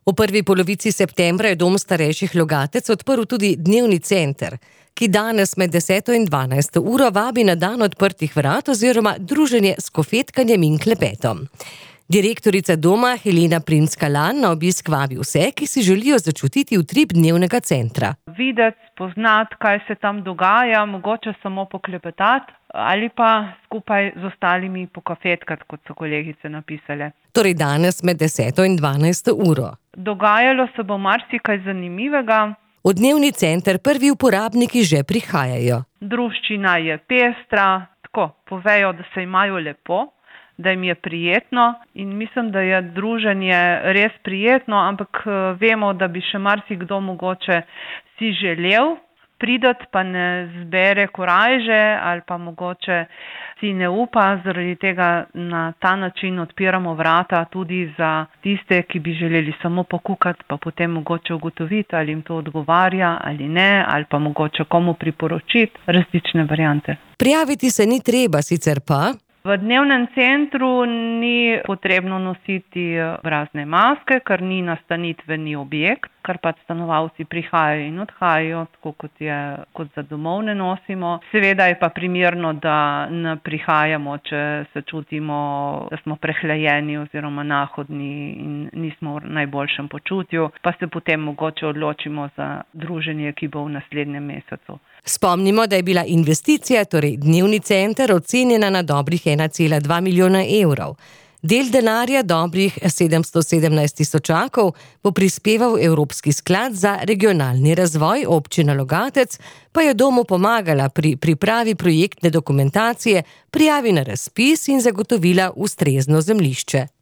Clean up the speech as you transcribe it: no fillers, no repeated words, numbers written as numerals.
V prvi polovici septembra je Dom starejših Logatec odprl tudi dnevni center, ki danes med 10. in 12. uro vabi na dan odprtih vrat oziroma druženje s kofetkanjem in klepetom. Direktorica doma Helena Primc-Kalan na obisk vabi vse, ki si želijo začutiti utrip dnevnega centra. Videti, spoznati, kaj se tam dogaja, mogoče samo poklepetati ali pa skupaj z ostalimi pokofetkati, kot so kolegice napisale. Torej danes med 10. in 12. uro. Dogajalo se bo marsikaj zanimivega. V dnevni center prvi uporabniki že prihajajo. Druščina je pestra, tako povejo, da se imajo lepo, da jim je prijetno in mislim, da je druženje res prijetno, ampak vemo, da bi še marsikdo mogoče si želel prideti, pa ne zbere korajže ali pa mogoče si ne upa, zaradi tega na ta način odpiramo vrata tudi za tiste, ki bi želeli samo pokukati, pa potem mogoče ugotoviti, ali jim to odgovarja ali ne, ali pa mogoče komu priporočiti različne variante. Prijaviti se ni treba, sicer pa v dnevnem centru ni potrebno nositi obrazne maske, ker ni nastanitveni objekt, ker pač stanovalci prihajajo in odhajajo, tako kot za domov ne nosimo. Seveda je pa primerno, da ne prihajamo, če se čutimo, da smo prehlajeni oziroma nahodni in nismo v najboljšem počutju, pa se potem mogoče odločimo za druženje, ki bo v naslednjem mesecu. Spomnimo, da je bila investicija, torej dnevni center, ocenjena na dobrih 1,2 milijona evrov. Del denarja, dobrih 717 tisočakov, bo prispeval Evropski sklad za regionalni razvoj, občina Logatec pa je domu pomagala pri pripravi projektne dokumentacije, prijavi na razpis in zagotovila ustrezno zemljišče.